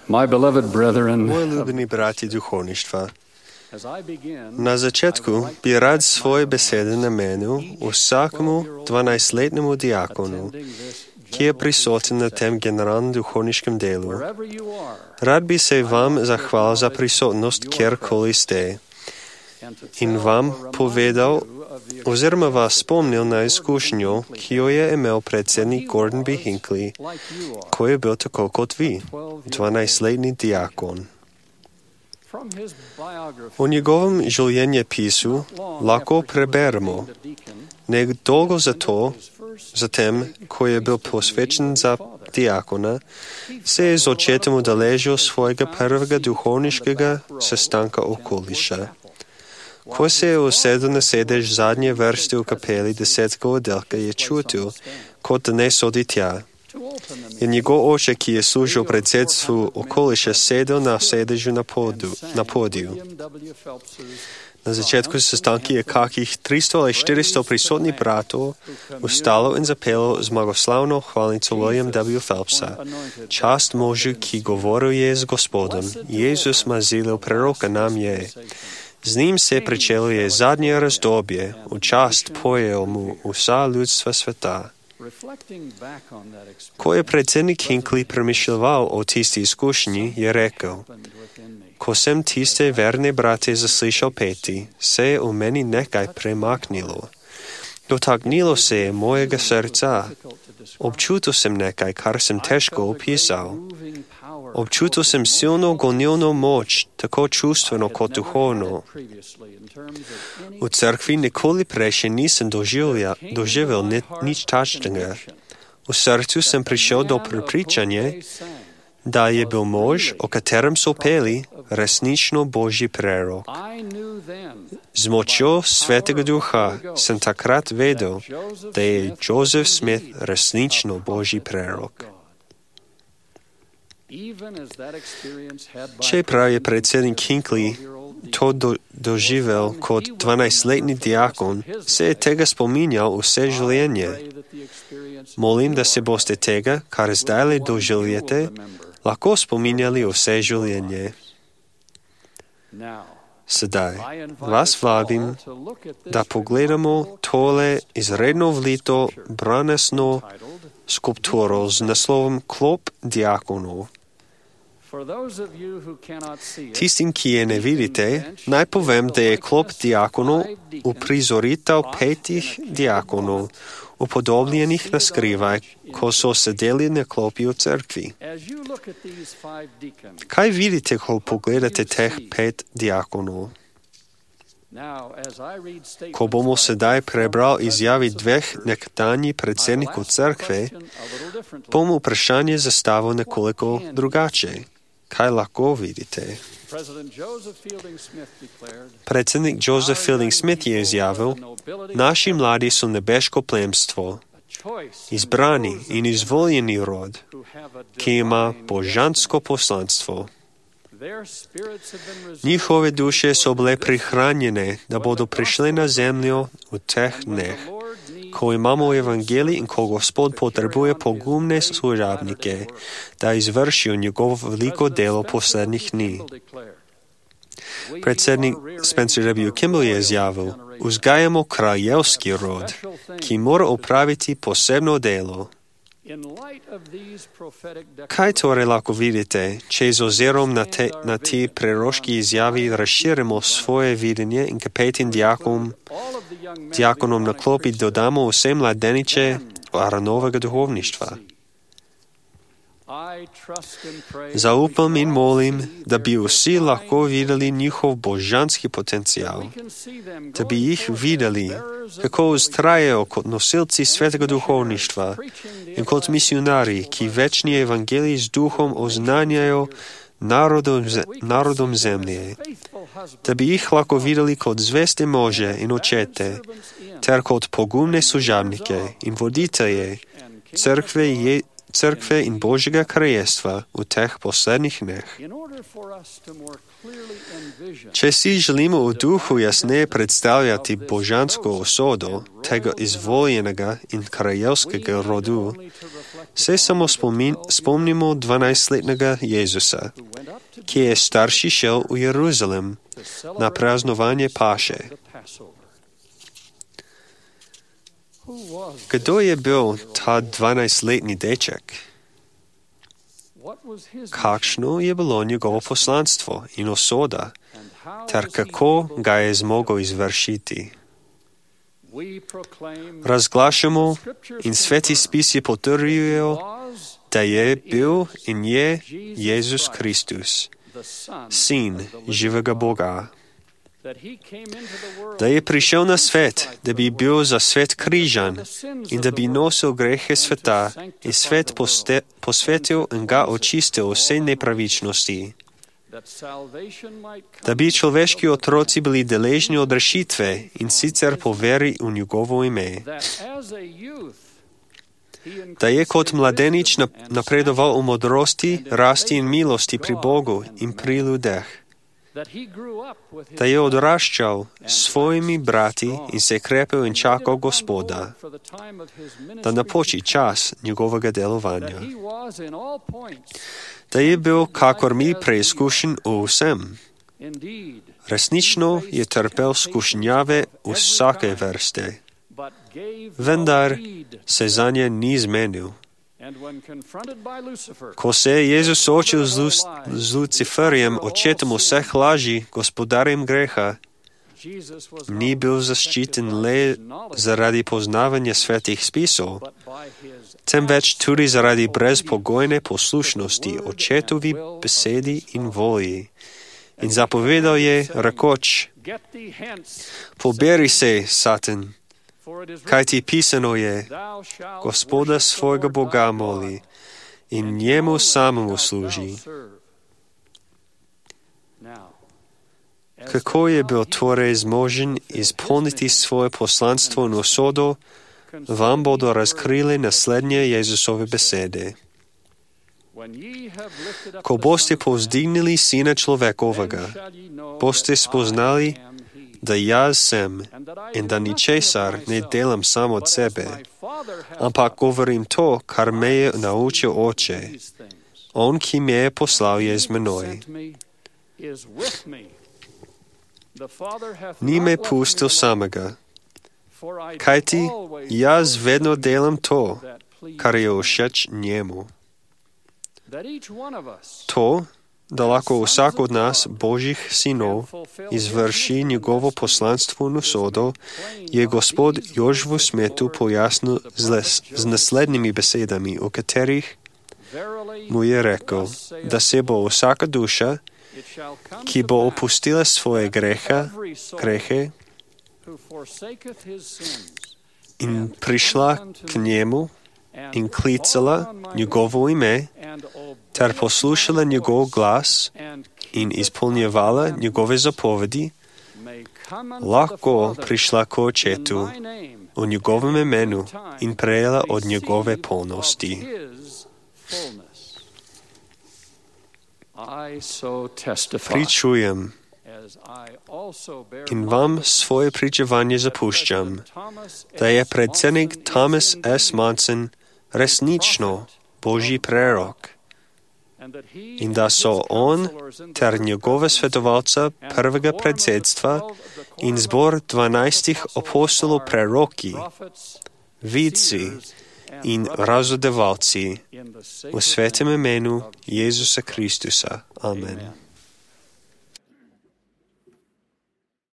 My beloved brethren, Moji ljubljeni bratji duhovništva, as I begin, na začetku bi rad svoje besede namenil vsakemu 12-letnemu diakonu, ki je prisoten na tem generalnem duhovniškem delu. wherever you are, Rad bi se vam zahvalil za prisotnost, kjerkoli ste, and to in tell vam or remind povedal you of the oziroma vas spomnil na izkušnjo, ki jo je imel predsednik Gordon B. Hinckley, like you are. ko je bil tako kot vi, 12-letni diakon. From his biography, O njegovem življenjepisu lahko preberemo nedolgo zatem, ko je bil posvečen za diakona, se je z očetom udeležil svojega prvega duhovniškega sestanka okoliša. Ko se je usedel na sedež zadnje vrste v kapeli 10. oddelka, je čutil, kot da ne sodi tja. In njegov oče, ki je služil predsedstvu okoliša, sedel na sedežu na podiju. Na začetku sestanka je kakih 300 ali 400 prisotnih bratov ustalo in zapelo zmagoslavno hvalnico William W. Phelpsa. Čast možu, ki govoril je z Gospodom. Jezus mazilil proroka nam je. Z njim se pričelo je zadnje razdobje, v čast pojejo mu vsa ljudstva sveta. Ko je predsednik Hinckley premišljeval o tisti izkušnji, je rekel: ko sem tiste verne brate zaslišal peti, se je v meni nekaj premaknilo. Dotaknilo se je mojega srca. Občutil sem nekaj, kar sem težko opisal. Občutil sem silno gonilno moč, tako čustveno kot duhovno. V cerkvi nikoli prej še nisem doživel nič takšnega. V srcu sem prišel do prepričanja, da je bil mož, o katerem so peli, resnično Božji prerok. Z močjo Svetega Duha sem takrat vedel, da je Joseph Smith resnično Božji prerok. Čeprav je predsednik Hinckley to doživel kot 12-letni diakon, se je tega spominjal vse življenje. Molim, da se boste tega, kar zdaj doživljate, lahko spominjali vse življenje. Sedaj vas vabim, da pogledamo tole izredno vlito bronasno skulpturo z naslovom Klop diakonov. Tistim, ki je ne vidite, naj povem, da je klop diakonov uprizoritev 5 diakonov, upodobljenih na skrivaj, ko so sedeli na klopi v cerkvi. Kaj vidite, ko pogledate teh 5 diakonov? Ko bomo sedaj prebrali izjavi 2 nekdanjih predsednikov cerkve, bom vprašanje zastavil nekoliko drugače. Kaj lahko vidite? Predsednik Joseph Fielding Smith je izjavil: naši mladi so nebeško plemstvo, izbrani in izvoljeni rod, ki ima božansko poslanstvo. Njihove duše so bile prihranjene, da bodo prišle na zemljo v teh dneh, ko imamo evangelij in ko Gospod potrebuje pogumne služabnike, da izvršijo njegovo veliko delo poslednjih dni. Predsednik Spencer W. Kimball je izjavil: vzgajamo kraljevski rod, ki mora opraviti posebno delo. Kaj torej lahko vidite, če z ozirom na te proroški izjavi razširimo svoje videnje in k 5 diakonom na klopi dodamo vse mladeniče Aaronovega duhovništva? Zaupam in molim, da bi vsi lahko videli njihov božanski potencial, da bi jih videli, kako vztrajajo kot nosilci svetega duhovništva in kot misionari, ki večni evangelij z duhom oznanjajo narodom zemlje, da bi jih lahko videli kot zveste može in očete, ter kot pogumne služabnike in voditelje Църкве in Божjega Kraljestva u teh poslednjih dneh. Če si želimo v duhu jasneje predstavljati božansko usodo tega izvoljenega in kraljevskega rodu, se samo spomnimo 12-letnega Jezusa, ki je starši šel v Jeruzalem na praznovanje paše. Kdo je bil ta 12-letni deček? Kakšno je bilo njegovo poslanstvo in usoda, ter kako ga je zmogel izvršiti? Razglašamo in sveti spisi potrjujejo, da je bil in je Jezus Kristus, Sin živega Boga. Da je prišel na svet, da bi bil za svet križan in da bi nosil grehe sveta in svet posvetil in ga očistil vse nepravičnosti. Da bi človeški otroci bili deležni od rešitve in sicer po veri v njegovo ime. Da je kot mladenič napredoval v modrosti, rasti in milosti pri Bogu in pri ljudeh. Da je odraščal s svojimi brati in se krepil in čakal Gospoda, da napoči čas njegovega delovanja. Da je bil, kakor mi, preizkušen v vsem. Resnično je trpel skušnjave vsake vrste, vendar se zanje ni zmenil. Ko se je Jezus soočil z Luciferjem, očetom vseh laži, gospodarjem greha, ni bil zaščiten le zaradi poznavanja svetih spisov, temveč tudi zaradi brezpogojne poslušnosti očetovi besedi in volji. In zapovedal je, rekoč, poberi se, Satan, kaj ti pisano je, Gospoda svojega Boga moli in njemu samemu služi. Kako je bil torej zmožen izpolniti svoje poslanstvo in usodo, vam bodo razkrili naslednje Jezusove besede. Ko boste povzdignili Sina človekovega, boste spoznali, da jaz sem in da ničesar ne delam sam od sebe, ampak govorim to, kar me je naučil Oče. On, ki me je poslal, je z menoj. Ni me pustil samega, kajti jaz vedno delam to, kar je všeč njemu. To, da lahko vsak od nas, Božjih sinov, izvrši njegovo poslanstvo in usodo, je Gospod Jožefu Smetu pojasnil z naslednjimi besedami, v katerih mu je rekel, da se bo vsaka duša, ki bo opustila svoje grehe in prišla k njemu in klicala njegovo ime, ter poslušala njegov glas in izpolnjevala njegove zapovedi, lahko prišla k Očetu v njegovem imenu in prejela od njegove polnosti. Pričujem in vam svoje pričevanje zapuščam, da je predsednik Thomas S. Monson resnično Božji prerok in da so on ter njegove svetovalca prvega predsedstva in zbor 12 apostolov preroki, vidci in razodevalci v svetem imenu Jezusa Kristusa. Amen.